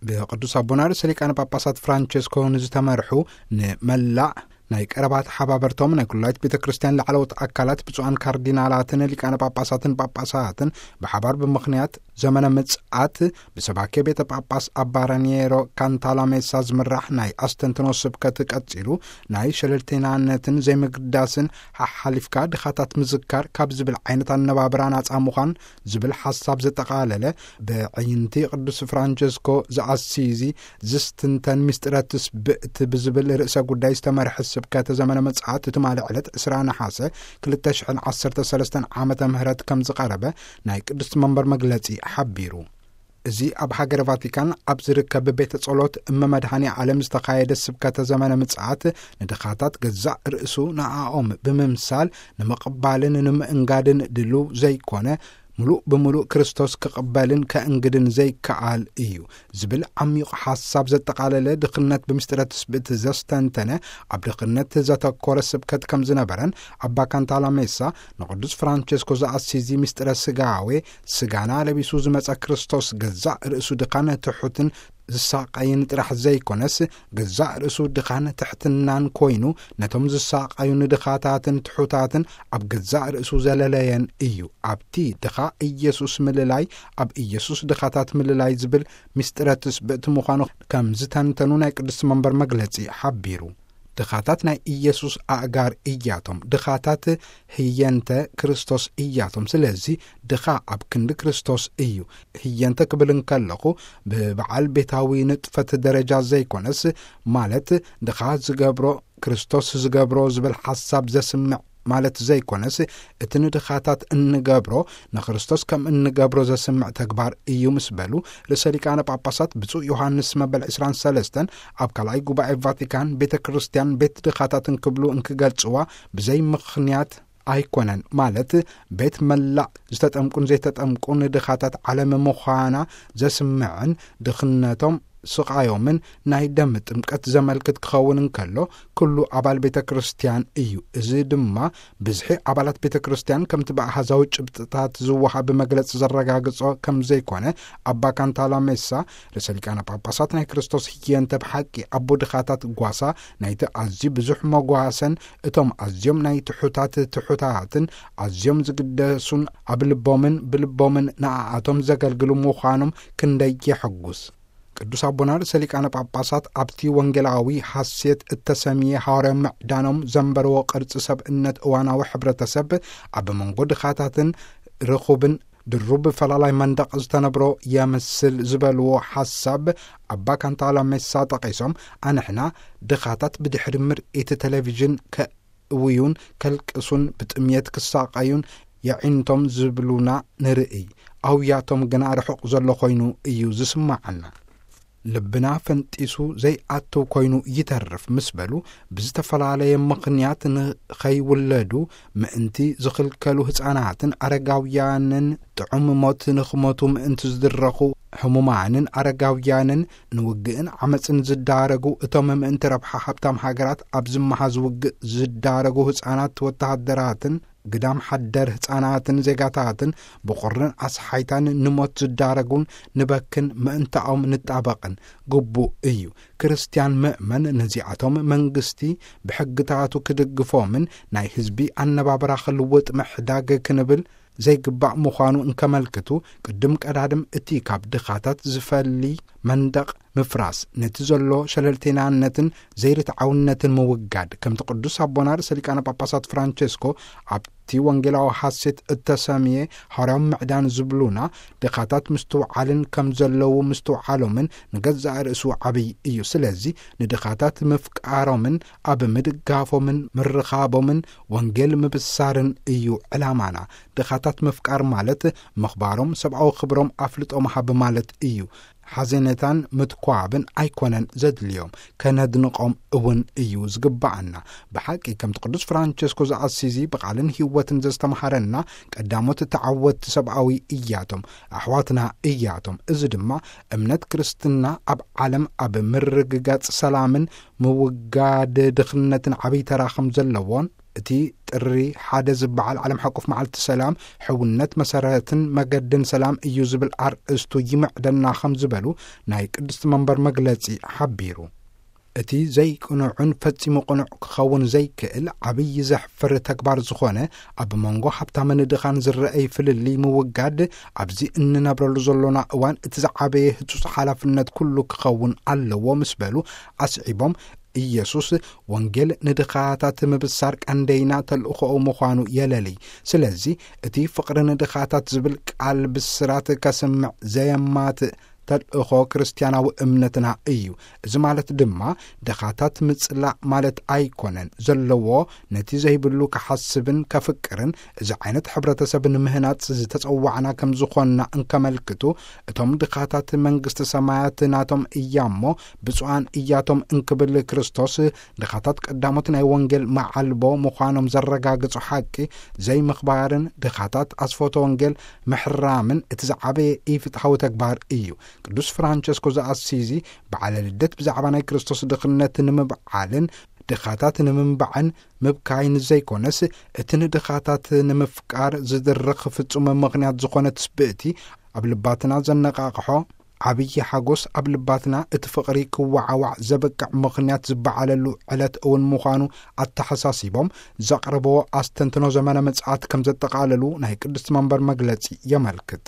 ብቅዱስ ኣቦና ርእሰ ሊቃነ ጳጳሳት ፍራንቸስኮ ንዝተመርሑ ንመላእ ናይ ቀረባ ተሓባበርቶም ናይ ኩላይት ቤተ ክርስቲያን ላዕለዎት ኣካላት ብፁዓን ካርዲናላትን ሊቃነ ጳጳሳትን ጳጳሳትን ብሓባር ብምኽንያት ዘመነ ምጽኣት ብሰባኬ ቤተ ጳጳስ ኣባ ራኒየሮ ካንታላሜሳ ዝምራሕ ናይ ኣስተንትኖ ስብከት ቀጺሉ፣ ናይ ሸለልተይናነትን ዘይምግዳስን ሓሓሊፍካ ድኻታት ምዝካር ካብ ዝብል ዓይነት ኣነባብራ ናጻ ምዃን ዝብል ሓሳብ ዘጠቓለለ፣ ብዕይንቲ ቅዱስ ፍራንቸስኮ ዘኣሲዚ ዝስትንተን ምስጢረ ትስብእቲ ብዝብል ርእሰ ጉዳይ ዝተመርሐ ስብከተ ዘመነ ምጽኣት ትማሊ ዕለት ዕስራ ነሓሰ ክልተ ሽሕን ዓሰርተ ሰለስተን ዓመተ ምህረት ከም ዝቐረበ ናይ ቅድስቲ መንበር መግለጺ ሓቢሩ። እዚ ኣብ ሃገረ ቫቲካን ኣብ ዝርከብ ቤተ ጸሎት እመ መድኃኔ ዓለም ዝተኻየደ ስብከተ ዘመነ ምጽኣት ንድኻታት ገዛእ ርእሱ ንኣኦም ብምምሳል ንምቕባልን ንምእንጋድን ድሉው ዘይኮነ፣ ምሉእ ብምሉእ ክርስቶስ ክቕበልን ከእንግድን ዘይከኣል እዩ ዝብል ዓሚቕ ሓሳብ ዘጠቓለለ ድኽነት ብምስጢረ ትስብእቲ ዘስተንተነ ኣብ ድኽነት ዘተኮረ ስብከት ከም ዝነበረን ኣባ ካንታላሜሳ ንቅዱስ ፍራንቸስኮ ዘኣሲዚ ምስጢረ ስጋዌ ስጋና ለቢሱ ዝመጸ ክርስቶስ ገዛእ ርእሱ ድኻን ትሑትን ዝሳቐይን ጥራሕ ዘይኮነስ፣ ገዛእ ርእሱ ድኻን ትሕትናን ኮይኑ፣ ነቶም ዝሳቐዩ ንድኻታትን ትሑታትን ኣብ ገዛእ ርእሱ ዘለለየን እዩ። ኣብቲ ድኻ ኢየሱስ ምልላይ፣ ኣብ ኢየሱስ ድኻታት ምልላይ ዝብል ምስጢረ ትስብእቲ ምዃኑ ከም ዝተንተኑ ናይ ቅድስቲ መንበር መግለጺ ሓቢሩ። ድኻታት ናይ ኢየሱስ ኣእጋር እያቶም። ድኻታት ህየንተ ክርስቶስ እያቶም። ስለዚ ድኻ ኣብ ክንዲ ክርስቶስ እዩ። ህየንተ ክብል እንከለኹ ብበዓል ቤታዊ ንጥፈት ደረጃ ዘይኮነስ፣ ማለት ድኻ ዝገብሮ ክርስቶስ ዝገብሮ ዝብል ሓሳብ ዘስምዕ ማለት ዘይኮነስ፣ እቲ ንድኻታት እንገብሮ ንክርስቶስ ከም እንገብሮ ዘስምዕ ተግባር እዩ ምስ በሉ፣ ርእሰ ሊቃነ ጳጳሳት ብፁዕ ዮሃንስ መበል ዕስራን ሰለስተን ኣብ ካልኣይ ጉባኤ ቫቲካን ቤተ ክርስቲያን ቤት ድኻታት እንክብሉ እንክገልጽዋ ብዘይ ምኽንያት ኣይኮነን፣ ማለት ቤት መላእ ዝተጠምቁን ዘይተጠምቁን ድኻታት ዓለም ምዃና ዘስምዕን ድኽነቶም ስቓዮምን ናይ ደም ጥምቀት ዘመልክት ክኸውን እንከሎ፣ ኩሉ ኣባል ቤተ ክርስቲያን እዩ። እዚ ድማ ብዝሒ ኣባላት ቤተ ክርስቲያን ከምቲ ብኣሃዛዊ ጭብጥታት ዝወሃብ መግለጺ ዘረጋግጾ ከም ዘይኮነ ኣባ ካንታላሜሳ ርእሰ ሊቃነ ጳጳሳት ናይ ክርስቶስ ህየንተ ብሓቂ ኣቦ ድኻታት ጓሳ ናይቲ ኣዝዩ ብዙሕ መጓሰን እቶም ኣዝዮም ናይ ትሑታት ትሑታትን ኣዝዮም ዝግደሱን ኣብ ልቦምን ብልቦምን ንኣኣቶም ዘገልግሉ ምዃኖም ክንደይ የሐጉስ። ቅዱስ ኣቦና ርእሰ ሊቃነ ጳጳሳት ኣብቲ ወንጌላዊ ሐሴት እተሰምየ ሐዋርያዊ ምዕዳኖም ዘንበርዎ ቅርጺ ሰብእነት እዋናዊ ሕብረተሰብ ኣብ መንጎ ድኻታትን ርኹብን ድሩብ ፈላላይ መንደቕ ዝተነብሮ የምስል ዝበልዎ ሓሳብ ኣባ ካንታላ ሜሳ ጠቒሶም፣ ኣንሕና ድኻታት ብድሕሪ ምርኢት ቴሌቪዥን ከእውዩን ከልቅሱን ብጥምየት ክሳቐዩን የዒንቶም ዝብሉና ንርእይ፣ ኣውያቶም ግና ርሑቕ ዘሎ ኮይኑ እዩ ዝስማዓና። ልብና ፈንጢሱ ዘይኣትው ኮይኑ ይተርፍ ምስ በሉ፣ ብዝተፈላለየ ምኽንያት ንኸይውለዱ ምእንቲ ዝኽልከሉ ህፃናትን ኣረጋውያንን፣ ጥዑም ሞት ንኽሞቱ ምእንቲ ዝድረኹ ሕሙማንን ኣረጋውያንን፣ ንውግእን ዓመፅን ዝዳረጉ፣ እቶም ምእንቲ ረብሓ ሃብታም ሃገራት ኣብ ዝመሃዝ ውግእ ዝዳረጉ ህፃናት ወተሃደራትን፣ ግዳም ሓደር ህፃናትን ዜጋታትን ብቑርን ኣስሓይታን ንሞት ዝዳረጉን ንበክን ምእንታኦም ንጣበቕን ግቡእ እዩ። ክርስትያን ምእመን ነዚኣቶም መንግስቲ ብሕግታቱ ክድግፎምን ናይ ህዝቢ ኣነባብራ ክልውጥ ምሕዳግ ክንብል ዘይግባእ ምዃኑ እንከመልክቱ፣ ቅድም ቀዳድም እቲ ካብ ድኻታት ዝፈሊ መንደቕ ምፍራስ፣ ነቲ ዘሎ ሸለልተይናነትን ዘይርትዓውነትን ምውጋድ፣ ከምቲ ቅዱስ ኣቦና ርእሰ ሊቃነ ጳጳሳት ፍራንቸስኮ ኣብቲ ወንጌላዊ ሐሴት እተሰምየ ሐዋርያዊ ምዕዳን ዝብሉና፣ ድኻታት ምስትውዓልን ከም ዘለዉ ምስትውዓሎምን ንገዛእ ርእሱ ዓብይ እዩ። ስለዚ ንድኻታት ምፍቃሮምን ኣብ ምድጋፎምን ምርኻቦምን ወንጌል ምብሳርን እዩ ዕላማና። ድኻታት ምፍቃር ማለት ምኽባሮም፣ ሰብኣዊ ክብሮም ኣፍልጦ ምሃብ ማለት እዩ። ሓዘኔታን ምትኳብን ኣይኮነን ዘድልዮም፣ ከነድንቖም እውን እዩ ዝግባኣና። ብሓቂ ከምቲ ቅዱስ ፍራንቸስኮ ዘኣሲዚ ብቓልን ህይወትን ዘስተምሃረና፣ ቀዳሞት ተዓወትቲ ሰብኣዊ እያቶም፣ ኣሕዋትና እያቶም። እዚ ድማ እምነት ክርስትና ኣብ ዓለም ኣብ ምርግጋጽ ሰላምን ምውጋድ ድኽነትን ዓብይ ተራ ከም ዘለዎን፣ እቲ ጥሪ ሓደ ዝበዓል ዓለም ሓቆፍ መዓልቲ ሰላም፣ ሕውነት መሰረትን መገድን ሰላም እዩ ዝብል ኣርእስቱ ይምዕደና ከም ዝበሉ ናይ ቅድስቲ መንበር መግለጺ ሓቢሩ። እቲ ዘይቅኑዕን ፈጺሙ ቅኑዕ ክኸውን ዘይክእል ዓብዪ ዘሕፍር ተግባር ዝኾነ ኣብ መንጎ ሃብታምን ድኻን ዝረአይ ፍልልይ ምውጋድ ኣብዚ እንነብረሉ ዘሎና እዋን እቲ ዝዓበየ ህጹጽ ሓላፍነት ኩሉ ክኸውን ኣለዎ ምስ በሉ ኣስዒቦም፣ ኢየሱስ ወንጌል ንድኻታት ምብሳር ቀንደይና ተልእኾኡ ምዃኑ የለልይ። ስለዚ እቲ ፍቕሪ ንድኻታት ዝብል ቃል ብስራት ከስምዕ ዘየማትእ ተልእኾ ክርስትያናዊ እምነትና እዩ። እዚ ማለት ድማ ድኻታት ምጽላእ ማለት ኣይኮነን። ዘለዎ ነቲ ዘይብሉ ክሓስብን ከፍቅርን እዚ ዓይነት ሕብረተሰብ ንምህናጽ ዝተጸዋዕና ከም ዝኾንና እንከመልክቱ፣ እቶም ድኻታት መንግስቲ ሰማያት ናቶም እያሞ ብፁዓን እያቶም እንክብል ክርስቶስ ድኻታት ቀዳሞት ናይ ወንጌል መዓልቦ ምዃኖም ዘረጋግጹ ሓቂ ዘይምኽባርን ድኻታት ኣስፎተ ወንጌል ምሕራምን እቲ ዝዓበየ ኢፍትሓዊ ተግባር እዩ። ቅዱስ ፍራንቸስኮ ዘኣሲዚ በዓለ ልደት ብዛዕባ ናይ ክርስቶስ ድኽነት ንምብዓልን ድኻታት ንምንባዕን ምብካይን ዘይኮነስ፣ እቲ ንድኻታት ንምፍቃር ዝድርኽ ፍጹም ምኽንያት ዝኾነ ትስብእቲ ኣብ ልባትና ዘነቓቕሖ ዓብዪ ሓጎስ ኣብ ልባትና እቲ ፍቕሪ ክወዓዋዕ ዘበቅዕ ምኽንያት ዝበዓለሉ ዕለት እውን ምዃኑ ኣተሓሳሲቦም፣ ዘቕረብዎ ኣስተንትኖ ዘመነ ምጽኣት ከም ዘጠቓለሉ ናይ ቅድስቲ መንበር መግለጺ የመልክት።